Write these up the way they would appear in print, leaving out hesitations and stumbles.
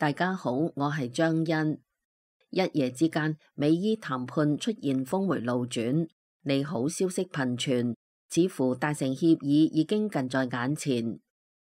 大家好，我係張欣。一夜之間，美伊談判出現峰回路轉，利好消息頻傳，似乎達成協議已經近在眼前。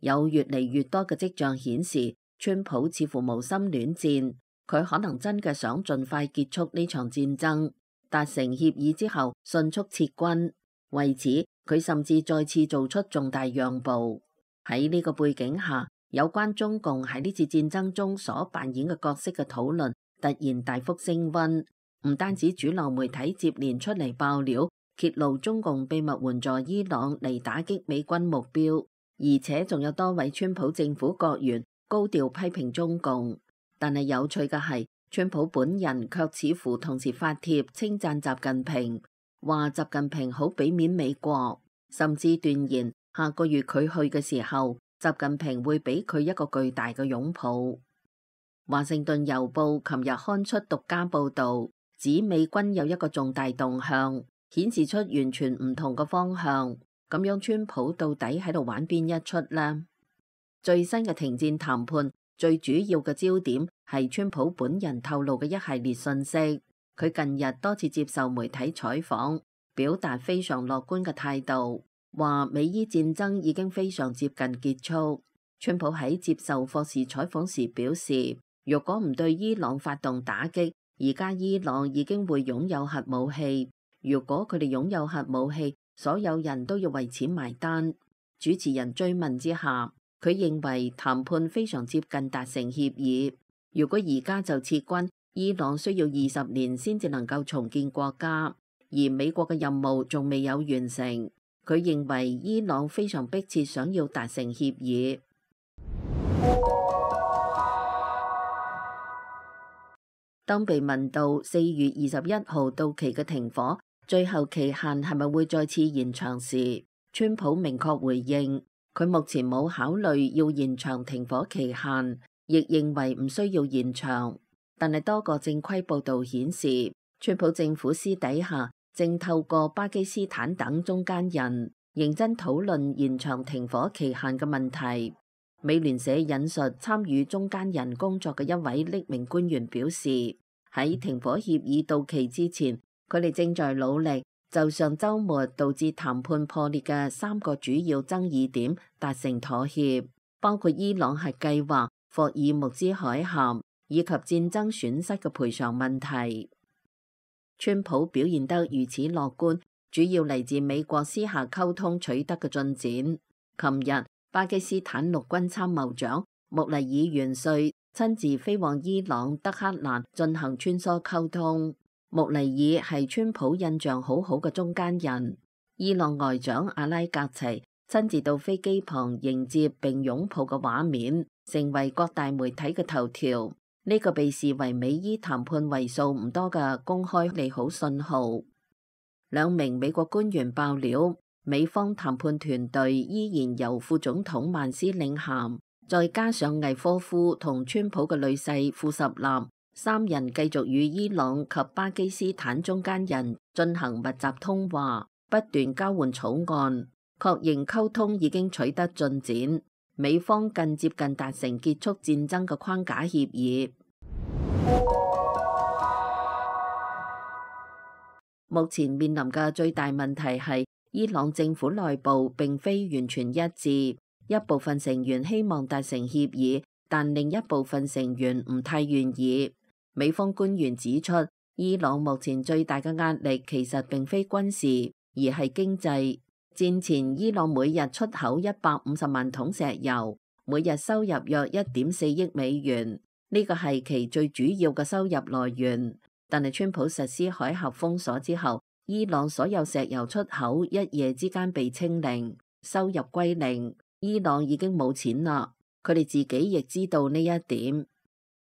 有越嚟越多嘅跡象顯示，川普似乎無心戀戰，佢可能真嘅想盡快結束呢場戰爭，達成協議之後迅速撤軍。為此，佢甚至再次做出重大讓步。喺呢個背景下，有關中共喺呢次戰爭中所扮演嘅角色嘅討論突然大幅升溫，唔單止主流媒體接連出嚟爆料，揭露中共秘密援助伊朗嚟打擊美軍目標，而且仲有多位川普政府國員高調批評中共。但係有趣嘅係，川普本人卻似乎同時發帖稱讚習近平，話習近平好俾面美國，甚至斷言下個月佢去嘅時候，習近平會俾佢一個巨大嘅擁抱。華盛頓郵報琴日刊出獨家報導，指美軍有一個重大動向，顯示出完全唔同嘅方向。咁樣川普到底喺度玩邊一出呢？最新嘅停戰談判最主要嘅焦點係川普本人透露嘅一系列信息。佢近日多次接受媒體採訪，表達非常樂觀嘅態度，話美伊戰爭已經非常接近結束。川普喺接受霍士採訪時表示，如果唔對伊朗發動打擊，而家伊朗已經會擁有核武器。如果佢哋擁有核武器，所有人都要為此埋單。主持人追問之下，佢認為談判非常接近達成協議。如果而家就撤軍，伊朗需要20年先至能夠重建國家，而美國嘅任務仲未有完成。佢認為伊朗非常迫切想要達成協議。當被問到4月21號到期嘅停火最後期限係咪會再次延長時，川普明確回應，佢目前冇考慮要延長停火期限，亦認為唔需要延長。但係多個正規報導顯示，川普政府私底下正透過巴基斯坦等中間人認真討論延長停火期限嘅問題。美聯社引述參與中間人工作嘅一位匿名官員表示，喺停火協議到期之前，佢哋正在努力就上週末導致談判破裂嘅3個主要爭議點達成妥協，包括伊朗核計劃、霍爾木茲海峽以及戰爭損失嘅賠償問題。川普表現得如此樂觀，主要嚟自美國私下溝通取得嘅進展。琴日，巴基斯坦陸軍參謀長穆尼爾元帥親自飛往伊朗德黑蘭進行穿梭溝通。穆尼爾係川普印象好好嘅中間人。伊朗外長阿拉格齊親自到飛機旁迎接並擁抱嘅畫面，成為各大媒體嘅頭條。呢個被視為美伊談判為數唔多嘅公開利好信號。兩名美國官員爆料，美方談判團隊依然由副總統曼斯領銜，再加上魏科夫同川普嘅女婿庫什納3人繼續與伊朗及巴基斯坦中間人進行密集通話，不斷交換草案，確認溝通已經取得進展。美方更接近達成結束戰爭嘅框架協議。目前面臨嘅最大問題係伊朗政府內部並非完全一致，一部分成員希望達成協議，但另一部分成員唔太願意。美方官員指出，伊朗目前最大嘅壓力其實並非軍事，而係經濟。戰前，伊朗每日出口150萬桶石油，每日收入約1.4億美元，呢個係其最主要嘅收入來源。但係川普實施海峽封鎖之後，伊朗所有石油出口一夜之間被清零，收入歸零。伊朗已經冇錢啦，佢哋自己亦知道呢一點。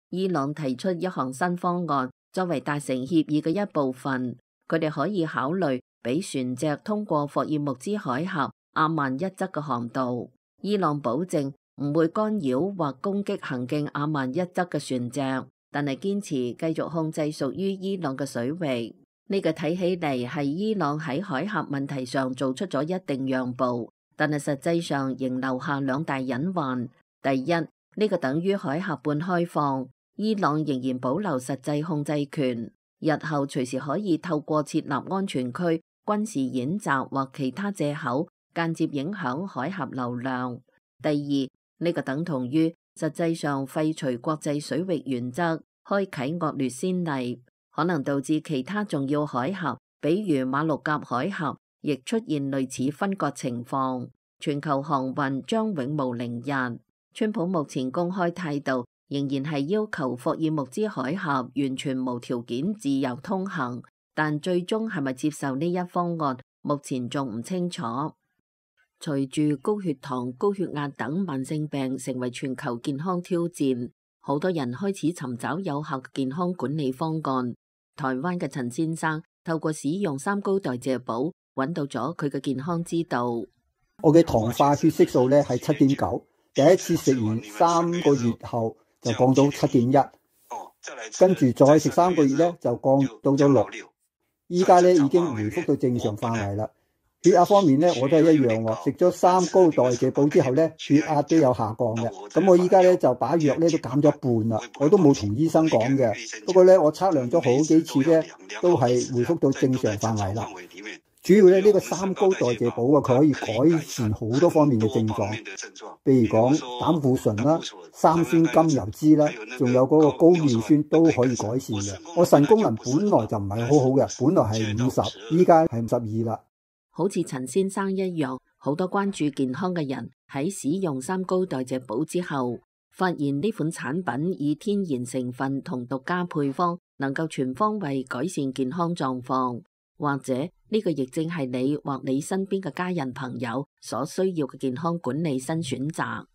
伊朗提出一項新方案，作為達成協議嘅一部分，佢哋可以考慮俾船隻通過霍爾木茲海峽阿曼一側嘅航道。伊朗保證唔會干擾或攻擊行經阿曼一側嘅船隻，但係堅持繼續控制屬於伊朗嘅水域。呢個睇起嚟係伊朗喺海峽問題上做出咗一定讓步，但係實際上仍留下2大隱患。第一，呢個等於海峽半開放，伊朗仍然保留實際控制權，日後隨時可以透過設立安全區、軍事演習或其他藉口，間接影響海峽流量。第二，呢個等同於實際上廢除國際水域原則，開啟惡劣先例，可能導致其他重要海峽，比如馬六甲海峽，亦出現類似分割情況，全球航運將永無寧日。川普目前公開態度仍然係要求霍爾木茲海峽完全無條件自由通行，但最終係咪接受呢一方案，目前仲唔清楚。隨住高血糖、高血壓等慢性病成為全球健康挑戰，好多人開始尋找有效嘅健康管理方案。台灣嘅陳先生透過使用三高代謝寶，揾到咗佢嘅健康之道。我嘅糖化血色素咧係7.9，第一次食完3個月後就降到7.1，跟住再食3個月咧就降到咗6，依家咧已經回復到正常範圍啦。血壓方面咧我都係一樣喎，食咗三高代謝寶之後咧血壓都有下降嘅。咁我依家咧就把藥咧都減咗一半啦，我都冇同醫生講嘅。不過咧我測量咗好幾次咧都係回復到正常範圍啦。主要咧呢個三高代謝寶啊，佢可以改善好多方面嘅症狀，譬如講膽固醇啦、三酸甘油酯啦，仲有嗰個高尿酸都可以改善嘅。我腎功能本來就唔係好好嘅，本來係50，依家係52啦。好似陳先生一樣，好多關注健康嘅人喺使用三高代謝寶之後，發現呢款產品以天然成分同獨家配方，能夠全方位改善健康狀況。或者呢個亦正係你或你身邊嘅家人朋友所需要嘅健康管理新選擇。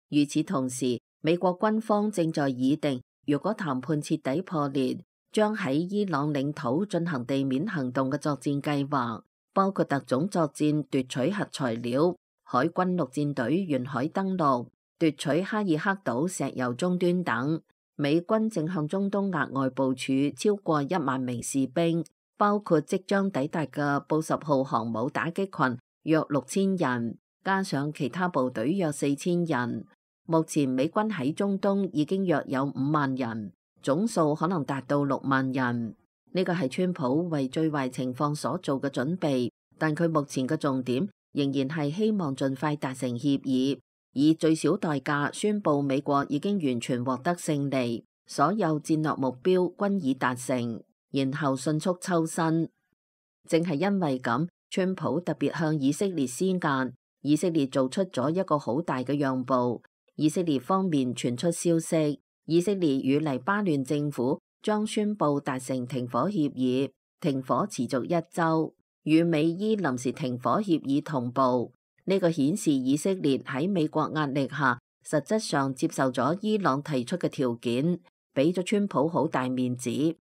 與此同時，美國軍方正在擬定，如果談判徹底破裂，將喺伊朗領土進行地面行動嘅作戰計劃，包括特種作戰奪取核材料、海軍陸戰隊沿海登陸、奪取哈爾克島石油終端等。美軍正向中東額外部署超過1萬名士兵，包括即將抵達嘅布什號航母打擊群約6000人，加上其他部隊約4000人。目前美軍喺中東已經約有5萬人，總數可能達到6萬人。呢個係川普為最壞情況所做嘅準備，但佢目前嘅重點仍然係希望盡快達成協議，以最小代價宣布美國已經完全獲得勝利，所有戰略目標均已達成，然後迅速抽身。正係因為咁，川普特別向以色列施壓，以色列做出咗一個好大嘅讓步。以色列方面傳出消息，以色列與黎巴嫩政府將宣布達成停火協議，停火持續1週，與美伊臨時停火協議同步。呢個顯示以色列喺美國壓力下，實質上接受咗伊朗提出嘅條件，俾咗川普好大面子，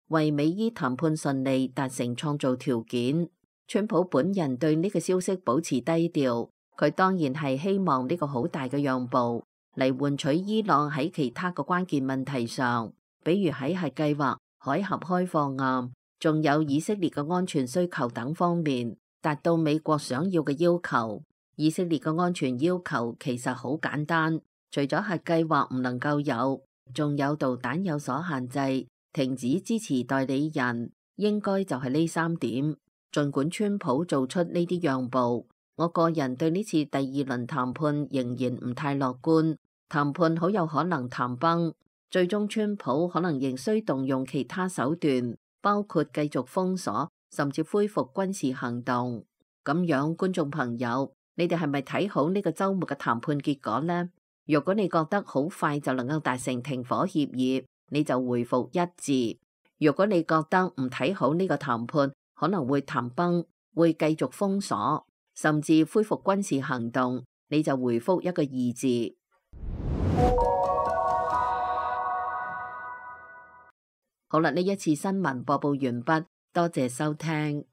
為美伊談判順利達成創造條件。川普本人對呢個消息保持低調，佢當然係希望呢個好大嘅讓步嚟換取伊朗喺其他嘅關鍵問題上，比如喺核計劃、海峽開放啊，仲有以色列嘅安全需求等方面，達到美國想要嘅要求。以色列嘅安全要求其實好簡單，除咗核計劃唔能夠有，仲有導彈有所限制，停止支持代理人，應該就係呢3點。儘管川普做出呢啲讓步，我個人對呢次第2輪談判仍然唔太樂觀，談判好有可能談崩，最終川普可能仍需動用其他手段，包括繼續封鎖，甚至恢復軍事行動。咁樣，觀眾朋友，你哋係咪睇好呢個週末嘅談判結果呢？如果你覺得好快就能夠達成停火協議，你就回復1字；如果你覺得唔睇好呢個談判，可能會談崩，會繼續封鎖，甚至恢復軍事行動，你就回復一個2字。好啦，呢一次新聞播報完畢，多謝收聽。